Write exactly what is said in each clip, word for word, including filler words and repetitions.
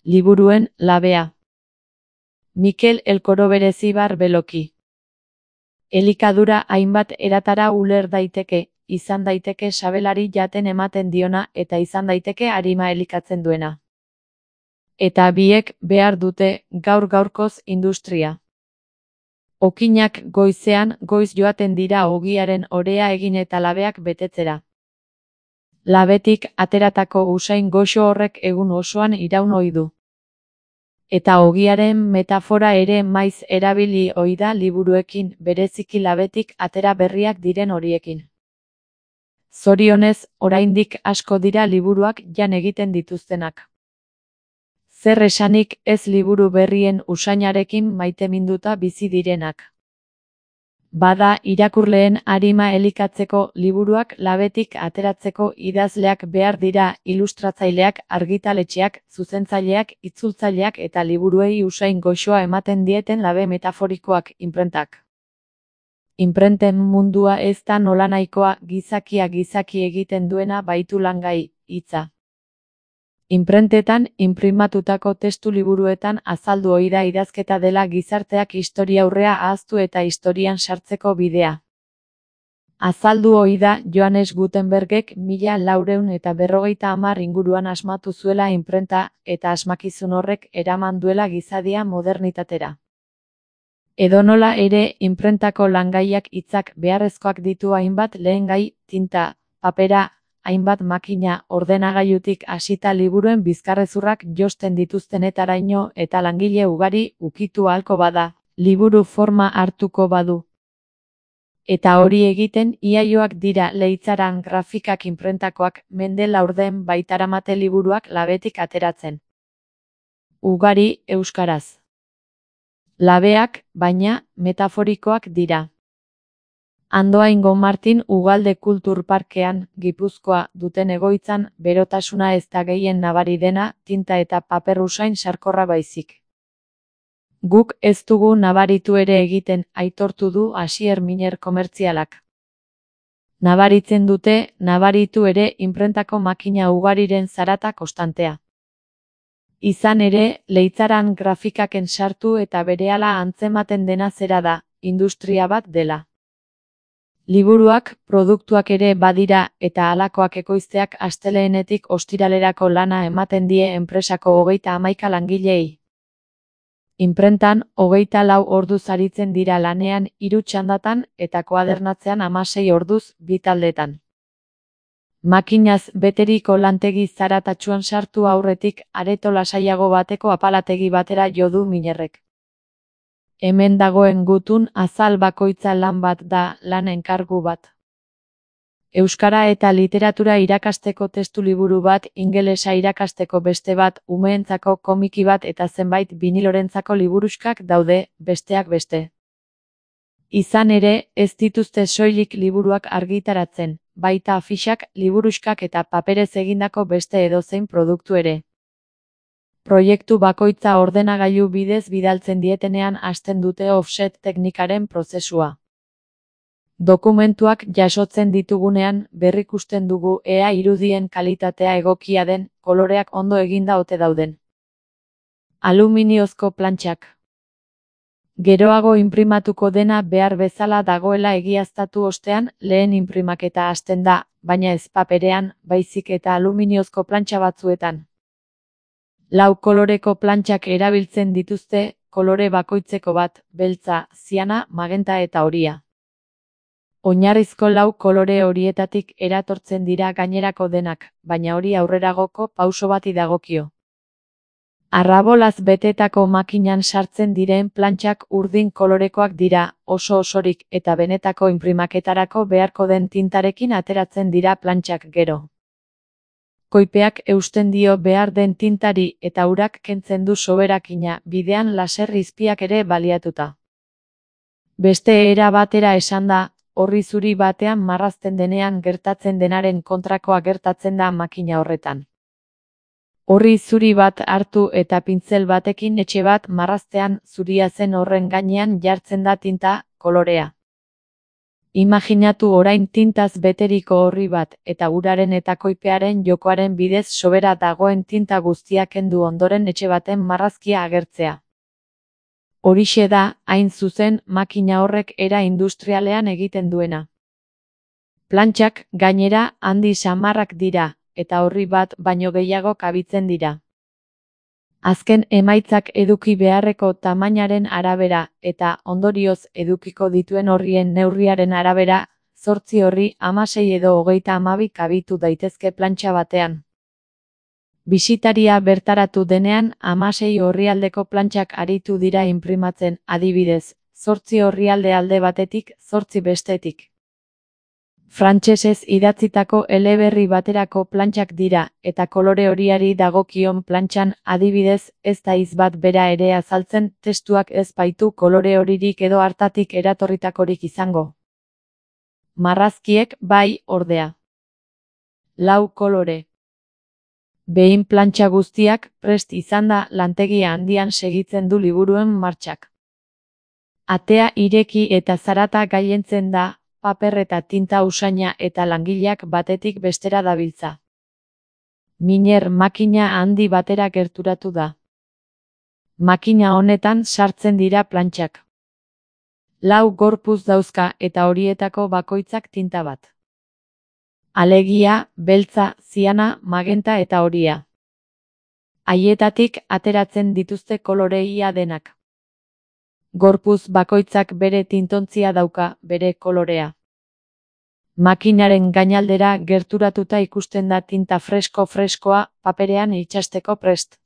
Liburuen labea. Mikel Elkoro Berezibar Beloki. Elikadura hainbat eratara uler daiteke, izan daiteke sabelari jaten ematen diona eta izan daiteke arima elikatzen duena. Eta biek behar dute gaur gaurkoz industria. Okinak goizean goiz joaten dira ogiaren orea egin eta labeak betetzera. Labetik ateratako usain goxo horrek egun osoan iraun ohi du. Eta ogiaren metafora ere maiz erabili ohi da liburuekin, bereziki labetik atera berriak diren horiekin. Zorionez, oraindik asko dira liburuak jan egiten dituztenak. Zer esanik ez liburu berrien usainarekin maiteminduta bizi direnak. Bada irakurleen arima elikatzeko liburuak labetik ateratzeko idazleak behar dira, ilustratzaileak, argitaletxeak, zuzentzaileak, itzultzaileak eta liburuei usain goxoa ematen dieten labe metaforikoak, inprentak. Inprenten mundua ez da nolanahikoa, gizakia gizaki egiten duena baitu langai, hitza. Inprentetan inprimatutako testu liburuetan azaldu ohi da idazketa dela gizarteak historiaurrea ahaztu eta historian sartzeko bidea. Azaldu ohi da Johannes Gutenbergek mila laurehun eta berrogeita hamar inguruan asmatu zuela inprenta eta asmakizun horrek eraman duela gizadia modernitatera. Edonola ere, inprentako langaiak hitzak beharrezkoak ditu hainbat lehengai, tinta, papera, hainbat makina, ordenagailutik hasita liburuen bizkarrezurrak josten dituztenetaraino eta langile ugari ukitu ahalko bada, liburu forma hartuko badu. Eta hori egiten iaioak dira Leitzaran grafikak inprentakoak, mende laurden baitaramate liburuak labetik ateratzen. Ugari euskaraz. Labeak, baina, metaforikoak dira. Andoaingo Martin Ugalde Kulturparkean, Gipuzkoa, duten egoitzan, berotasuna ez da gehien nabari dena, tinta eta paper usain sarkorra baizik. Guk ez dugu nabaritu ere egiten, aitortu du Asier Miner komertzialak. Nabaritzen dute, nabaritu ere inprentako makina ugariren zarata konstantea. Izan ere, Leitzaran grafikaken sartu eta berehala antzematen dena zera da, industria bat dela. Liburuak, produktuak ere badira eta halakoak ekoizteak asteleenetik ostiralerako lana ematen die enpresako hogeita hamaika langilei. Inprentan, hogeita lau orduz aritzen dira lanean hiru txandatan eta koadernatzean hamasei orduz bi taldetan. Makinaz beteriko lantegi zaratatsuan sartu aurretik areto lasaiago bateko apalategi batera jo du Minerrek. Hemen dagoen gutun azal bakoitza lan bat da, lan enkargu bat. Euskara eta literatura irakasteko testu liburu bat, ingelesa irakasteko beste bat, umeentzako komiki bat eta zenbait binilorentzako liburuxkak daude, besteak beste. Izan ere, ez dituzte soilik liburuak argitaratzen, baita afixak, liburuxkak eta paperez egindako beste edozein produktu ere. Proiektu bakoitza ordenagailu bidez bidaltzen dietenean hasten dute offset teknikaren prozesua. Dokumentuak jasotzen ditugunean berrikusten dugu ea irudien kalitatea egokia den, koloreak ondo eginda ote dauden. Aluminiozko plantxak. Geroago inprimatuko dena behar bezala dagoela egiaztatu ostean lehen inprimaketa hasten da, baina ez paperean, baizik eta aluminiozko plantxa batzuetan. Lau koloreko plantxak erabiltzen dituzte, kolore bakoitzeko bat, beltza, ziana, magenta eta horia. Oinarrizko lau kolore horietatik eratortzen dira gainerako denak, baina hori aurreragoko pauso bati dagokio. Arrabolaz betetako makinan sartzen diren plantxak urdin kolorekoak dira, oso osorik, eta benetako inprimaketarako beharko den tintarekin ateratzen dira plantxak gero. Koipeak eusten dio behar den tintari eta urak kentzen du soberakina, bidean laser izpiak ere baliatuta. Beste era batera esanda, orri zuri batean marrazten denean gertatzen denaren kontrakoa gertatzen da makina horretan. Orri zuri bat hartu eta pintzel batekin etxe bat marraztean zuria zen horren gainean jartzen da tinta, kolorea. Imaginatu orain tintaz beteriko orri bat eta uraren eta koipearen jokoaren bidez sobera dagoen tinta guztia kendu ondoren etxe baten marrazkia agertzea. Horixe da, hain zuzen, makina horrek era industrialean egiten duena. Plantxak, gainera, handi samarrak dira, eta orri bat baino gehiago kabitzen dira. Azken emaitzak eduki beharreko tamainaren arabera, eta, ondorioz, edukiko dituen orrien neurriaren arabera, zortzi orri, hamasei edo hogeita hamabi kabitu daitezke plantxa batean. Bisitaria bertaratu denean, hamasei orrialdeko plantxak aritu dira inprimatzen, adibidez, zortzi orrialde alde batetik, zortzi bestetik. Frantsesez idatzitako eleberri baterako plantxak dira, eta kolore horiari dagokion plantxan, adibidez, ez da hitz bat bera ere azaltzen, testuak ez baitu kolore horirik edo hartatik eratorritakorik izango. Marrazkiek bai, ordea. Lau kolore. Behin plantxa guztiak prest izanda lantegia handian segitzen du liburuen martxak. Atea ireki eta zarata gailentzen da, paper eta tinta usaina eta langileak batetik bestera dabiltza. Miner makina handi batera gerturatu da. Makina honetan sartzen dira plantxak. Lau gorpuz dauzka eta horietako bakoitzak tinta bat. Alegia, beltza, ziana, magenta eta horia. Haietatik ateratzen dituzte koloreia denak. Gorpuz bakoitzak bere tintontzia dauka, bere kolorea. Makinaren gainaldera gerturatuta ikusten da tinta fresko-freskoa paperean itxasteko prest.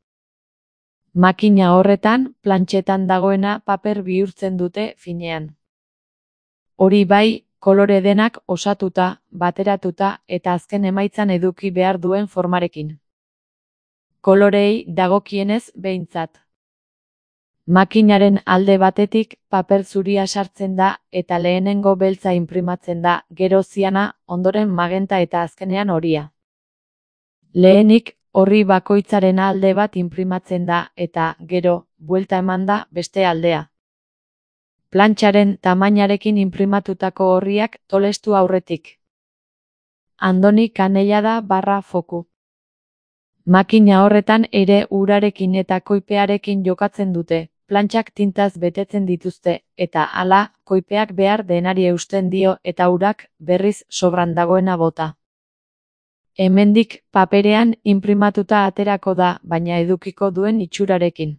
Makina horretan, plantxetan dagoena paper bihurtzen dute finean. Hori bai, kolore denak osatuta, bateratuta eta azken emaitzan eduki behar duen formarekin. Kolorei dagokienez behintzat. Makinaren alde batetik paper zuria sartzen da eta lehenengo beltza inprimatzen da, gero ziana, ondoren magenta eta azkenean horia. Lehenik, orri bakoitzaren alde bat inprimatzen da eta, gero, buelta eman da beste aldea. Plantxaren tamainarekin inprimatutako orriak tolestu aurretik. Andoni Canellada barra foku. Makina horretan ere urarekin eta koipearekin jokatzen dute, plantxak tintaz betetzen dituzte, eta hala, koipeak behar denari eusten dio eta urak berriz sobran dagoena bota. Hemendik paperean inprimatuta aterako da, baina edukiko duen itxurarekin.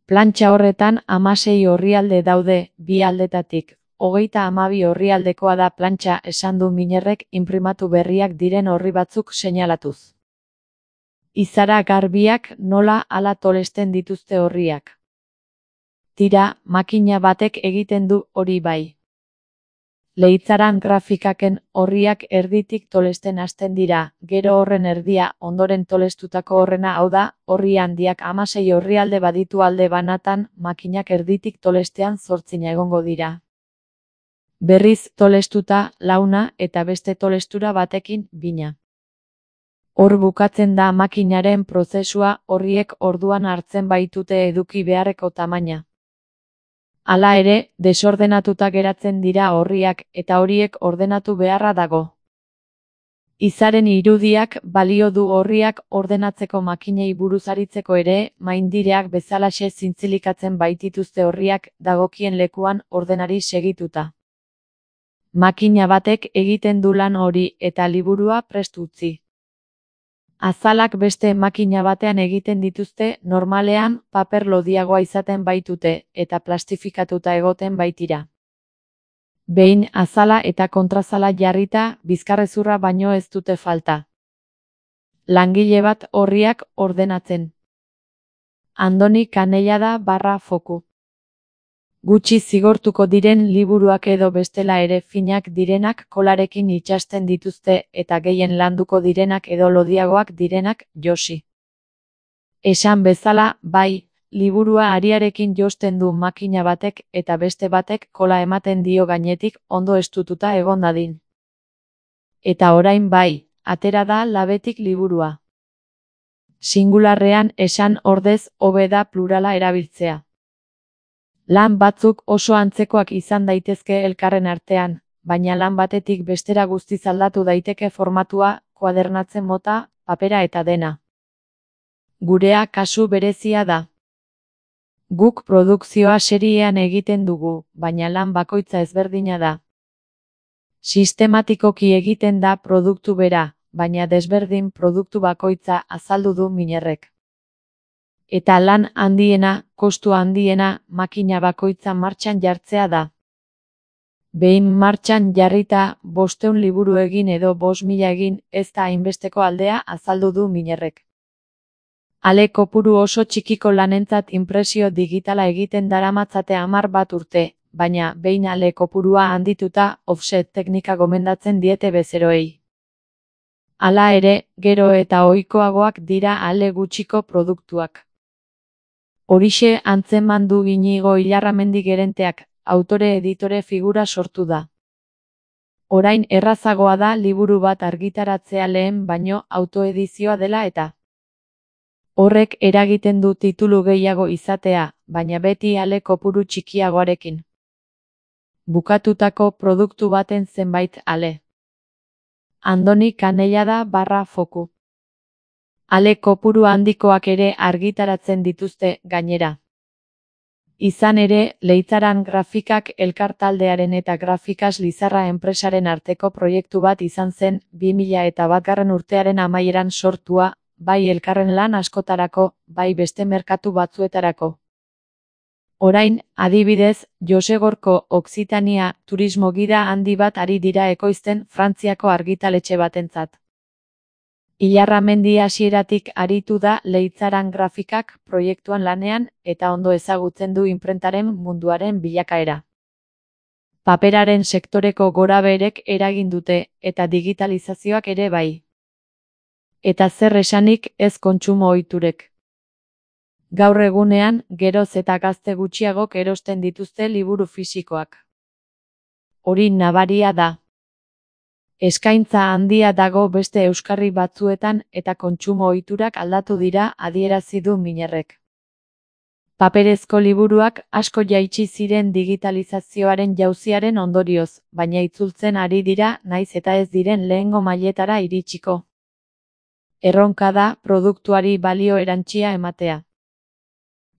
Plantxa horretan hamasei orrialde daude, bi aldetatik, hogeita hamabi orrialdekoa da plantxa esan du Minerrek inprimatu berriak diren orri batzuk seinalatuz. Izara garbiak nola hala tolesten dituzte orriak. Tira, makina batek egiten du hori bai. Leitzaran grafikaken orriak erditik tolesten hasten dira, gero horren erdia, ondoren tolestutako horrena hau da, orri handiak hamasei orrialde baditu alde banatan, makinak erditik tolestean zortzina egongo dira. Berriz tolestuta, launa eta beste tolestura batekin, bina. Hor bukatzen da makinaren prozesua, orriek orduan hartzen baitute eduki beharreko tamaina. Hala ere, desordenatuta geratzen dira orriak eta horiek ordenatu beharra dago. Izaren irudiak balio du orriak ordenatzeko makinei buruz aritzeko ere, maindireak bezalaxe zintzilikatzen baitituzte orriak dagokien lekuan ordenari segituta. Makina batek egiten du lan hori eta liburua prest utzi. Azalak beste makina batean egiten dituzte, normalean paper lodiagoa izaten baitute eta plastifikatuta egoten baitira. Behin azala eta kontrazala jarrita, bizkarrezurra baino ez dute falta. Langile bat orriak ordenatzen. Andoni Canellada barra foku. Gutxi zigortuko diren liburuak edo bestela ere finak direnak kolarekin itxasten dituzte eta gehien landuko direnak edo lodiagoak direnak josi. Esan bezala, bai, liburua ariarekin josten du makina batek eta beste batek kola ematen dio gainetik ondo estututa egon dadin. Eta orain bai, atera da labetik liburua. Singularrean esan ordez hobe da plurala erabiltzea. Lan batzuk oso antzekoak izan daitezke elkarren artean, baina lan batetik bestera guztiz aldatu daiteke formatua, koadernatzen mota, papera eta dena. Gurea kasu berezia da. Guk produkzioa seriean egiten dugu, baina lan bakoitza ezberdina da. Sistematikoki egiten da produktu bera, baina desberdin produktu bakoitza azaldu du Minerrek. Eta lan handiena, kostu handiena, makina bakoitza martxan jartzea da. Behin martxan jarrita, bostehun liburu egin edo bost mila egin, ez da hainbesteko aldea azaldu du Minerrek. Ale kopuru oso txikiko lanentzat inpresio digitala egiten daramatzate hamar bat urte, baina behin ale kopurua handituta offset teknika gomendatzen diete bezeroei. Hala ere, gero eta ohikoagoak dira ale gutxiko produktuak. Horixe antzeman du Inigo Ilarramendi gerenteak, autore-editore figura sortu da. Orain errazagoa da liburu bat argitaratzea lehen baino autoedizioa dela eta. Horrek eragiten du titulu gehiago izatea, baina beti ale kopuru txikiagoarekin. Bukatutako produktu baten zenbait ale. Andoni Kanellada barra foku. Ale kopuru handikoak ere argitaratzen dituzte gainera. Izan ere, Leitzaran Grafikak elkartaldearen eta Grafikas Lizarra enpresaren arteko proiektu bat izan zen bi mila eta batgarren urtearen amaieran sortua, bai elkarren lan askotarako, bai beste merkatu batzuetarako. Orain, adibidez, Josegorko Okzitania turismo gida handi bat ari dira ekoizten Frantziako argitaletxe batentzat. Ilarramendi hasieratik aritu da Leitzaran Grafikak proiektuan lanean eta ondo ezagutzen du inprentaren munduaren bilakaera. Paperaren sektoreko gorabeherek eragin dute eta digitalizazioak ere bai. Eta zer esanik ez kontsumo ohiturek. Gaur egunean, geroz eta gazte gutxiagok erosten dituzte liburu fisikoak. Hori nabaria da. Eskaintza handia dago beste euskarri batzuetan eta kontsumo ohiturak aldatu dira adierazi du Minerrek. Paperezko liburuak asko jaitsi ziren digitalizazioaren jauziaren ondorioz, baina itzultzen ari dira naiz eta ez diren lehengo mailetara iritsiko. Erronka da produktuari balio erantsia ematea.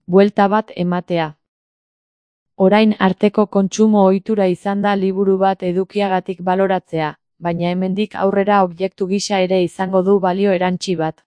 Buelta bat ematea. Orain arteko kontsumo ohitura izan da liburu bat edukiagatik baloratzea, baina hemendik aurrera objektu gisa ere izango du balio erantsi bat.